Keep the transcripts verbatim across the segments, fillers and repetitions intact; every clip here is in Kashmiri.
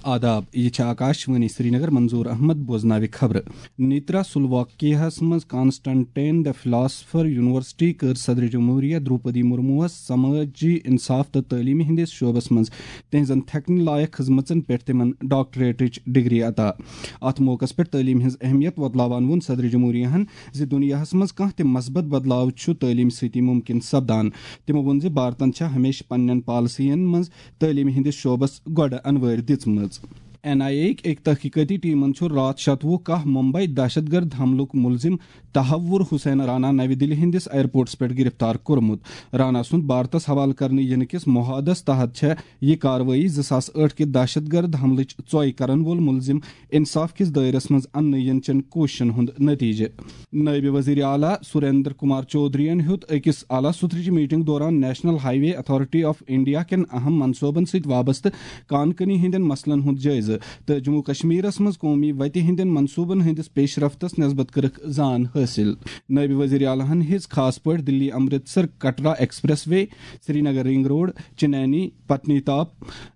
آداب، یہِ چھِ آکاش وانی سرینگر۔ منظور احمد بوزناوِ خبرٕ۔ نیترا سلواکیاہس منٛز کانسٹنٹین the philosopher university کٔر صدر جمہوریہ درٛوپدی مرموہس سمٲجی انصاف تہٕ تعلیمہِ ہٕنٛدِس شعبس منٛز تہنٛزن تھکنہٕ لایق خدمژن پٮ۪ٹھ تِمن ڈاکٹریٹٕچ ڈگری عطا۔ اتھ موقعس پٮ۪ٹھ تعلیمہِ ہٕنٛز اہمیت وۄتلاوان ووٚن صدر جمہوریہن زِ دُنیاہس منٛز کانٛہہ تہِ مثبت بدلاو چھُ تعلیمہِ سۭتی ممکن سپدان۔ تِمو ووٚن زِ بھارتن چھےٚ ہمیشہٕ پننٮ۪ن پالیسین منٛز تعلیمہِ ہٕنٛدِس شعبس گۄڈٕ انوٲرۍ دِژمٕژ۔ این آئی اے یٕکۍ أکۍ تحقیقٲتی ٹیمن چھُ راتھ شتوُہ کاہ ممبئی دہشت گرد حملُک ملزم تحور حسین رانا نوِ دِلہِ ہٕنٛدِس ایئرپورٹس پٮ۪ٹھ گرفتار کوٚرمُت۔ رانا سُنٛد بھارتس حوالہٕ کرنہٕ یِنہٕ کِس معاہدس تحت چھےٚ یہِ کاروٲیی زٕ ساس ٲٹھ کہِ دہشت گرد حملٕچ ژۄے کرن وول ملزم انصاف کِس دٲیرس منٛز اننہٕ یِنہٕ چٮ۪ن کوٗششن ہُنٛد نتیجہٕ۔ نٲیِب وزیر اعلیٰ سریندر کمار چودھرین ہیوٚت أکِس اعلیٰ سطحٕچ میٹنگ دوران national high way authority of India کٮ۪ن اہم منصوبن سۭتۍ وابستہٕ کان کنی ہٕنٛدٮ۪ن مسلن ہُنٛد جٲیزٕ تہٕ جموں کشمیرس منٛز قومی وتہِ ہٕنٛدٮ۪ن منصوبن ہٕنٛدِس پیش رفتس نسبت کٔرٕکھ زان حٲصِل۔ نٲیِب وزیر اعلیٰ ہن ہیٚژ خاص پٲٹھۍ دِلی Amritsar Katra express way, Srinagar ring road, چنانی، پتنی top,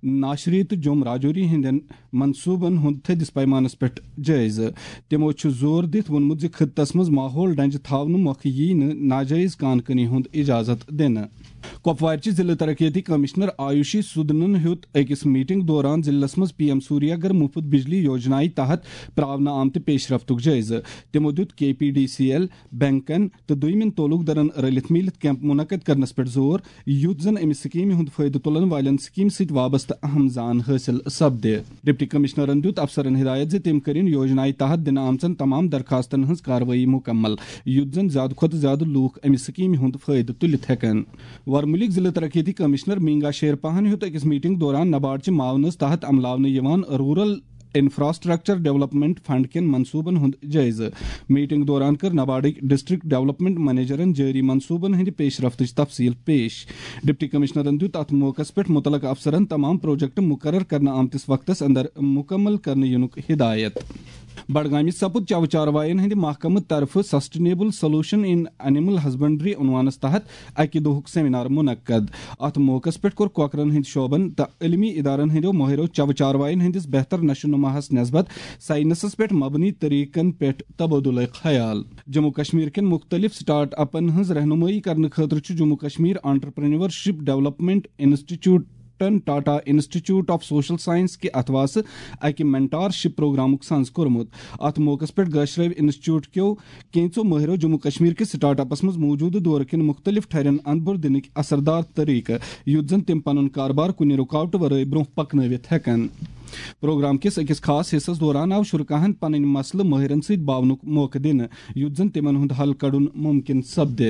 ناشری تہٕ جوم راجوری ہٕنٛدٮ۪ن منصوبن ہُنٛد تھٔدِس پیمانس پٮ۪ٹھ جٲیزٕ۔ تِمو چھُ زور دِتھ ووٚنمُت زِ خطس منٛز ماحول ڈنجہِ تھاونہٕ مۄکھٕ یِیہِ نہٕ ناجٲیز کان کنی ہُنٛد اجازت دِنہٕ۔ کۄپوارچہِ ضلعہٕ ترقیتی کمشنر آیوشی سودنن ہیوٚت أکِس میٹنگ دوران ضلعس منٛز پی ایم سوریاگر مفت بجلی یوجنایہِ تحت پراونہٕ آمتہِ پیش رفتُک جٲیزٕ۔ تِمو دیُت کے پی ڈی سی ایل، بینکن تہٕ دوٚیمٮ۪ن تعلق دارن رٔلِتھ میٖلِتھ کیمپ منعقد کرنس پٮ۪ٹھ زور، یُتھ زن امہِ سکیمہِ ہُنٛد فٲیدٕ تُلن والٮ۪ن سکیمہِ سۭتۍ وابستہٕ اہم زان حٲصِل سپدِ۔ ڈپٹی کمشنرن دیُت افسرن ہدایت زِ تِم کٔرِن یوجنایہِ تحت دِنہٕ آمژن تمام درخواستن ہٕنٛز کاروٲیی مکمل، یُتھ زن زیادٕ کھۄتہٕ زیادٕ لوٗکھ امہِ سکیمہِ ہُنٛد فٲیدٕ تُلِتھ ہٮ۪کن۔ ورمُلِک ضلعہٕ ترقیتی کمشنر مینگا شیر پہن ہیوٚت أکِس میٹنگ دوران نباڈ چہِ معاونس تحت عملاونہٕ یِوان رورل انفراسٹرکچر ڈیولپمنٹ فنڈ کٮ۪ن منصوبن ہُنٛد جٲیزٕ۔ میٹنگ دوران کٔر نباڈٕکۍ ڈسٹرکٹ ڈیولپمنٹ منیجرن جٲری منصوبن ہٕنٛدِ پیش رفتٕچ تفصیل پیش۔ ڈپٹی کمشنرن دیُت اتھ موقعس پٮ۪ٹھ متعلقہٕ افسرن تمام پروجیکٹ مقرر کرنہٕ آمتِس وقتس اندر مکمل کرنہٕ یِنُک ہدایت۔ بڈگامہِ سپُد چَوٕ چاروایَن ہٕنٛدِ محکمہٕ طرفہٕ Sustainable Solution in Animal Husbandry عنوانس تحت اَکہِ دۄہُک سیمینار منعقد۔ اَتھ موقعس پٮ۪ٹھ کوٚر کۄکرَن ہٕنٛدۍ شعبن تہٕ علمی ادارن ہٕنٛدیو مٲہرو چَوٕ چاروایَن ہٕنٛدِس بہتر نشو نماہَس نسبت سائنسس پٮ۪ٹھ مبنی طریقن پٮ۪ٹھ تبادلہ خیال۔ جموں کشمیر کٮ۪ن مختلف سٹارٹ اپن ہٕنٛز رہنمٲیی کرنہٕ خٲطرٕ چھُ Jammu Kashmir entrepreneurship development institute ٹن Tata institute of social science کہِ اتھواسہٕ اکہِ مینٹارشپ پروگرامُک سنز کوٚرمُت۔ اتھ موقعس پٮ۪ٹھ گٲشرٲوۍ انسٹیٹیوٹ کیو کینژو مٲہرو جموں کشمیر کِس سٹارٹ اپس منٛز موجودٕ دورٕ کٮ۪ن مختلف ٹھرٮ۪ن اندبر دِنٕکۍ اثردار طریقہٕ، یُتھ زن تِم پنُن کاربار کُنہِ رُکاوٹہٕ ورٲے برونٛہہ پکنٲوِتھ ہٮ۪کن۔ پروگرام کِس أکِس خاص حصس دوران آو شرکاہن پنٕنۍ مسلہٕ مٲہرن سۭتۍ باونُک موقعہٕ دِنہٕ، یُتھ زن تِمن ہُنٛد حل کڑُن ممکن سپدِ۔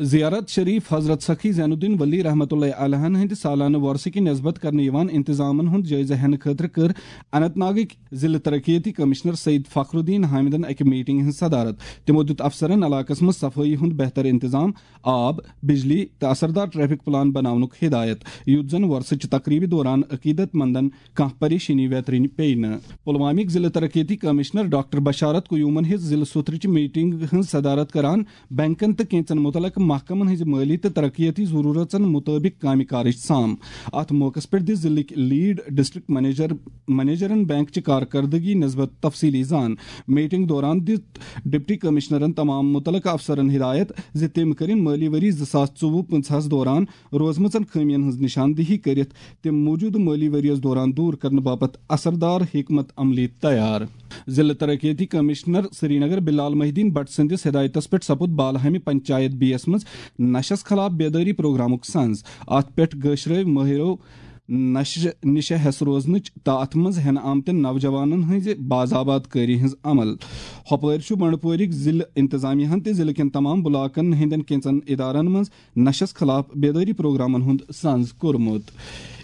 زیارت شریف حضرت سخی زین الدین ولی رحمۃ اللہ علیہن ہٕنٛدِ سالانہٕ وۄرثہٕ کہِ نسبت کرنہٕ یِوان انتظامن ہُنٛد جٲیزٕ ہٮ۪نہٕ خٲطرٕ کٔر اننت ناگٕکۍ ضلعہٕ ترقیتی کمشنر سعید فخر الدین حامدن اکہِ میٹنگ ہٕنٛز صدارت۔ تِمو دیُت افسرن علاقس منٛز صفٲیی ہُنٛد بہتر انتظام، آب، بجلی تہٕ اثردار ٹریفک پلان بناونُک ہدایت، یُتھ زن وۄرثہٕ چہِ تقریبہِ دوران عقیدت مندن کانٛہہ پریشٲنی ویترٕنۍ پیٚیہِ نہٕ۔ پلوامٕکۍ ضلعہٕ ترقیتی کمشنر ڈاکٹر بشارت قیومن ہیٚژ ضلعہٕ سوتھرٕچہِ میٹنگ ہٕنٛز صدارت کران بینکن تہٕ کینژن متعلقہٕ محکمن ہٕنٛزِ مٲلی تہٕ ترقیتی ضروٗرژن مُطٲبِق کامہِ کارٕچ سام۔ اتھ موقعس پٮ۪ٹھ دِژ ضلعٕکۍ لیڈ ڈسٹرکٹ منیجر، منیجرن بینک چہِ کارکردگی نسبت تفصیلی زان۔ میٹنگ دوران دِژ ڈپٹی کمشنرن تمام متعلقہٕ افسرن ہدایت زِ تِم کٔرِن مٲلی ؤری زٕ ساس ژوٚوُہ پٕنٛژٕہس دوران روزمٕژن خٲمین ہٕنٛز نشاندہی کٔرِتھ تِم موجودٕ مٲلی ؤریَس دوران دوٗر کرنہٕ باپتھ اثردار حکمت عملی تیار۔ ضلعہٕ ترقیتی کمشنر سرینگر بلال محی الدین بٹ سٕنٛدِس ہدایتس پٮ۪ٹھ سپُد بالہٕ ہامہِ پنچایت بی یَس منٛز نشس خلاف بیدٲری پروگرامُک سنز۔ اتھ پٮ۪ٹھ گٲشرٲوۍ مٲہرو نشہِ نِشہِ ہٮ۪س روزنٕچ تہٕ اتھ منٛز ہٮ۪نہٕ آمتٮ۪ن نوجوانن ہٕنٛزِ باضابط کٲری ہٕنٛز عمل۔ ہۄپٲرۍ چھُ بنڈپورِک ضلعہٕ انتظامیہ ہن تہٕ ضلعہٕ کٮ۪ن تمام بلاکن ہٕنٛدٮ۪ن کینژن ادارن منٛز نشس خلاف بیدٲری پروگرامن ہُنٛد سنز کوٚرمُت۔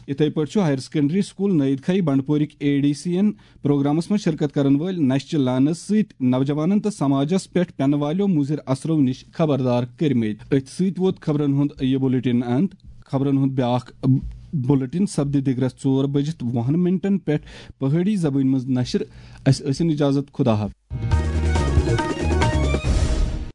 یِتھے پٲٹھۍ چھُ ہایر سیکنڈری سکول نٔید کھائی بنڈپورِک اے ڈی سی یَن پروگرامس منٛز شرکت کرن وٲلۍ نشہِ چہِ لعنت سۭتۍ نوجوانن تہٕ سماجس پٮ۪ٹھ پٮ۪نہٕ والیو مُضِر اثرو نِش خبردار کٔرمٕتۍ۔ أتھۍ سۭتۍ ووت خبرن ہُنٛد یہِ بُلٹن اند۔ خبرن ہُنٛد بیاکھ بُلٹن سپدِ دِگرس ژور بجِتھ وُہن منٹن پٮ۪ٹھ پہٲڑی زبٲنۍ منٛز نشر۔ اسہِ ٲسِن اجازت، خدا حافظ۔